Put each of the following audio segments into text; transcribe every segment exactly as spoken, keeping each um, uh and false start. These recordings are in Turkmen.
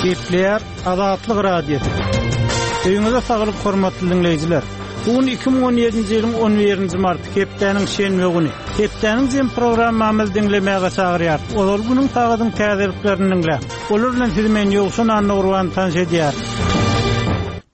Gepleýär Azatlyk Radiosy. Öýüňize saglyk hormatly diňleýjiler. Bu gün iki müň on ýedinji ýylyň on birinji marty, hepdäniň şenbe güni. Hepdäniň jem programmamyzy diňlemäge çagyrýar. Ozal günüň sagadyň täzeliklerini diňläň. Olar bilen sizi men Ýowşan Annagurban tanyş edýär.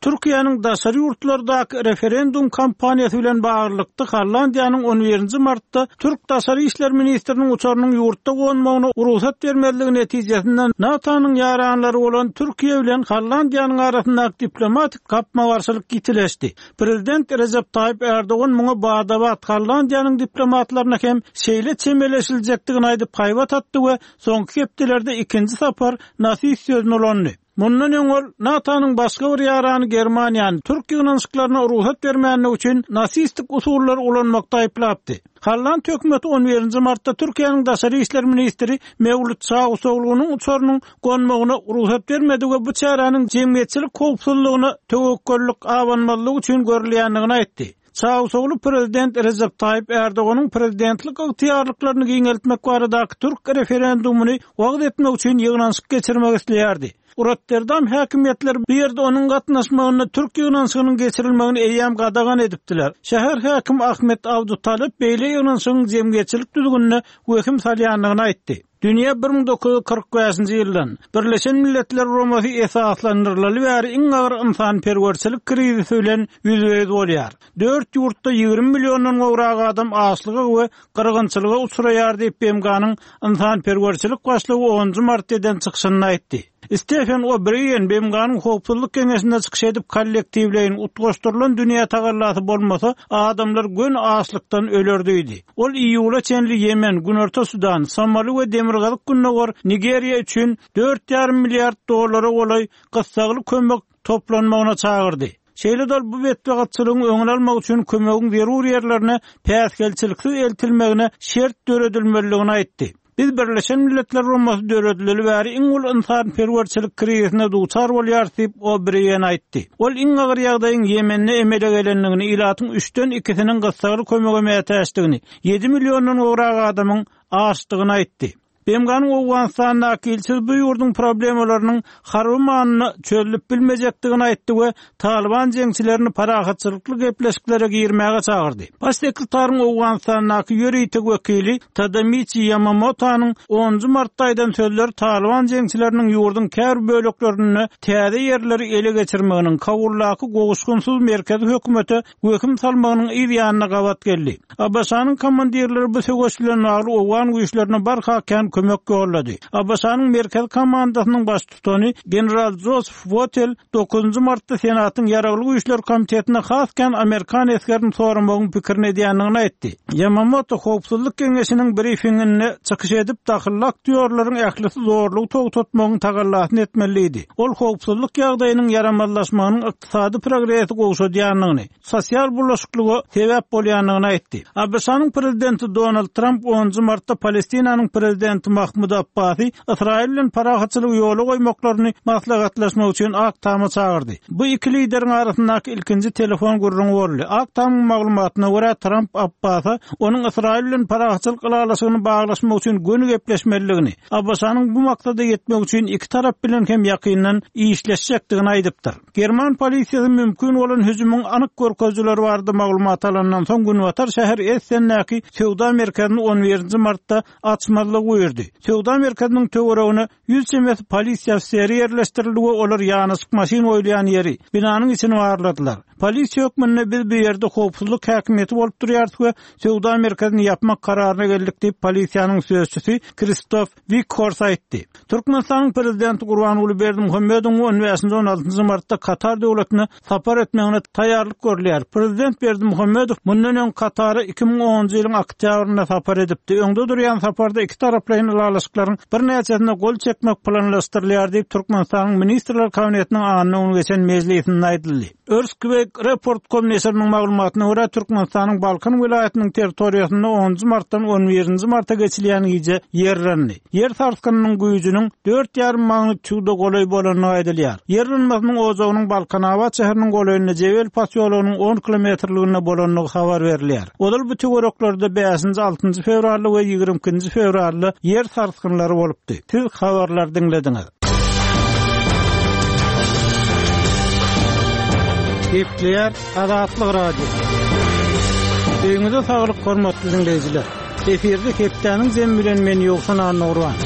Türkiýäniň daşary ýurtlardaky referendum kampaniýasy bilen baglylykda Hollandiýanyň on birinji martda Türk Daşary İşler Ministriniň uçarynyň ýurtda gonmagyna rugsat bermezligi netijesinde NATO-nyň ýaranlary bolan Türkiýe bilen Hollandiýanyň arasyndaky diplomatik gapma-garşylyk ýitileşdi. Prezident Recep Tayyip Erdogan muňa badabat Hollandiýanyň diplomatlaryna hem şeýle çemeleşiljekdigini aýdyp haýbat atdy we soňky hepdelerde ikinji sapar nasist sözüni ulandy. Mundan öň ol NATO-nyň başga bir ýarany Germaniýany Türk ýygnanyşyklaryna rugsat bermänligi üçin nasistik usullary ulanmakda aýyplapdy. Holland hökümeti on birinji martda Türkiýäniň Daşary İşler Ministri Mewlüt Çawuşoglunyň uçarynyň gonmagyna rugsat bermedi we bu çäräniň jemgyýetçilik howpsuzlygyna töwekgellik abanmazlygy üçin görülýändigini aýtdy. Çawuşoglu prezident Recep Tayyip Erdoganyň prezidentlik ygtyýarlyklaryny giňeltmek baradaky Türk referendumyny wagyz etmek üçin ýygnanyşyk geçirmek isleýärdi. Rotterdam häkimiýetleri bu ýerde onuň gatnaşmagynda Türk ýygnanyşygynyň geçirilmegini eýýäm gadagan edipdiler. Şäher häkimi Ahmet Abdutalip beýle ýygnanyşygyň jemgyýetçilik düzgünine wehim salýandygyny aýtdy. Dünýä bir müň dokuz ýüz kyrk bäşinji ýyldan Birleşen Milletler Guramasy esaslandyrylaly bäri iň agyr ynsanperwerçilik krizisi bilen ýüzbe-ýüz bolýar. Dört ýurtda ýigrimi milliondan gowrak adam açlyga we gyrgynçylyga uçraýar diýip B M G-nyň ynsanperwerçilik başlygy onunjy mart eden çykyşynda aýtdy. Stephen O'Brien B M G-nyň howpsuzlyk geňeşinde çykyş edip kollektiwleýin utgaşdyrylan dünýä tagallasy bolmasa adamlar gön açlykdan öler diýdi. Ol iýula çenli Ýemen, Günorta Sudan, Somali we Demirgazyk Gündogar Nigeriýa üçin dört ýarym milliard dollara golaý gyssagly kömek toplanmagyna çagyrdy. Şeýle de bu betbagtçylygyň öňüni almak üçin kömegiň zerur ýerlerine päsgelçiliksiz eltilmegine şert döredilmelidigini aýtdy. Biz Birleşen Milletler Guramasy döredileli bäri iň uly ynsanperwerçilik krizisine duçar bolýar diýip O'Brien aýtdy. Ol iň agyr ýagdaýyň Ýemende emele gelendigini, ilatyň üçden ikisiniň gyssagly kömege mätäçdigini, ýedi milliondan gowrak adamyň açdygyny aýtdy. B M G-nyň Owganystandaky ilçisi bu ýurduň problemalarynyň harby manyna çözülip bilmejekdigini aýtdy we Taliban jeňçilerini parahatçylykly gepleşiklere girmäge çagyrdy. Baş sekretaryň Owganystandaky ýörite wekili Tadamichi Yamamotanyň onunjy martda aýdan sözleri Taliban jeňçileriniň ýurduň käbir böleklerinde täze ýerleri ele geçirmeginiň, Kabuldaky gowuşgynsyz merkezi hökümete wehim salmagynyň yz ýanyna gabat geldi. A B Ş-nyň komandirleri bu söweş bilen bagly Owgan güýçlerine barha kän kömek ýollady. A B Ş-nyň merkezi komandasynyň baştutany general Joseph Votel dokuzynjy martda Senatyň ýaragly güýçler komitetine has kän Amerikan esgerini soramagyň pikirini edýändigini aýtdy. Yamamoto Howpsuzlyk Geňeşiniň briefinginde çykyş edip dahylly aktýorlaryň ählisi zorlugy togtatmagyň tagallasyny etmeliydi. Ol howpsuzlyk ýagdaýynyň ýaramazlaşmagynyň ykdysady progresi gowşadýandygyny, sosial bulaşyklyga sebäp bolýandygyny aýtdy. A B Ş-nyň prezidenti Donald Trump onunjy martda Palestinanyň prezidenti Mahmud Abbasy Ysraýyl bilen parahatçylygy ýola goýmaklaryny maslahatlaşmak üçin Ak Tama çagyrdy. Bu iki lideriň arasyndaky ilkinji telefon gürrüňi boldy. Ak Tamyň maglumatyna görä Trump Abbasa onuň Ysraýyl bilen parahatçylyk ylalaşygyny baglaşmak üçin göni gepleşmelidigini, A B Ş-nyň bu maksada ýetmek üçin iki tarap bilen hem ýakyndan işleşjekdigini aýdypdyr. German polisiýasy mümkin bolan hüjümiň anyk görkezijileri barada maglumat alandan soň Günbatar şäher Essen'däki söwda merkezini on birinji martda açmazlygy buýurdy. Söwda merkeziniň töweregine ýüz çemesi polisiýa ofiseri ýerleşdirildi we olar ýanaşyk maşyn goýulýan ýeri binanyň içini barladylar. Polisiýa hökmünde biz bu ýerde howpsuzlyk häkimiýeti bolup durýarys we söwda merkezini ýapmak kararyna geldik diýip polisiýanyň sözçüsi Kristof Wikhors aýtdy. Türkmenistanyň prezidenti Gurbanguly Berdimuhamedowyň on bäşinji on altynjy martda Katar döwletine sapar etmegine taýýarlyk görülýär. Prezident Berdimuhamedow mundan öň Katara iki müň onunjy ýylyň oktýabrynda sapar edipdi. Öňde durýan saparda iki taraplaýyn ylalaşyklaryň birnäçesine gol çekmek planlaşdyrylýar diýip Türkmenistanyň Ministrler Kabinetiniň anna güni geçen mejlisinde aýdyldy. Earthquake Report com neşiriniň maglumatyna görä Türkmenistanyň Balkan welaýatynyň territoriýasynda onunjy martdan on birinji marta geçilýän gije ýerlendi. Ýer sarsgynynyň güýjüniň dört ýarym magnituda golaý bolandygy aýdylýar. Ýer ynmasynyň ojagynyň Balkanabat şäheriniň golaýynda Jebel posýologynyň on kilometrliginde bolandygy habar berilýär. Ozal bu töwereklerde bäşinji, altynjy fewralda we ýigrimi ikinji fewralda ýer sarsgynlary bolupdy. Siz habarlar diňlediňiz. Gepleýär Azatlyk Radiosy. Öýüňize saglyk hormatly dinleýjiler. Efirde hepdäniň jemi bilen men Ýowşan Annagurban.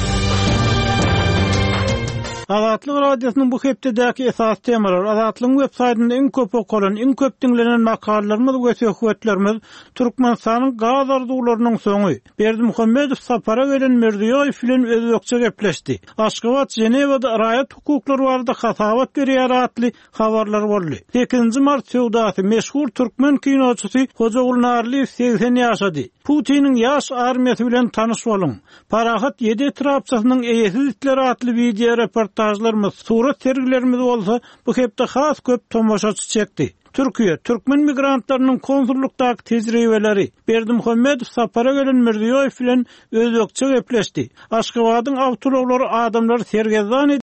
Azatlyk Radiosynyň bu hepdedäki esas temalar Azatlygyň web saýtynda iň köp okalan, iň köp diňlenen makalalarymyz we söhbetlerimiz Türkmenistanyň gaz arzuwlarynyň soňy, Berdimuhamedow sapara gelen Mirziýoýew bilen özbekçe gepleşdi. Aşgabat Ženewada raýat hukuklary barada hasabat berýär atly habarlar boldy. Sekizinji mart söwdasy meşhur türkmen kinoçysy Hojagul Narlyýew segsen ýaşady. Putiniň ýaş armiýasy bilen tanyş boluň. Parahat ýedi etrapçasynyň eýesiz itleri atly wideo reportažlarymyz, surat sergilerimiz bolsa bu hepde has köp tomaşaçy çekdi. Türkiýe, türkmen migrantlarynyň konsullukdaky tejribeleri, Berdimuhamedow sapara gelen Mirziýoýew bilen özbekçe gepleşdi. Aşgabadyň awtoulaglary adamlary sergezdan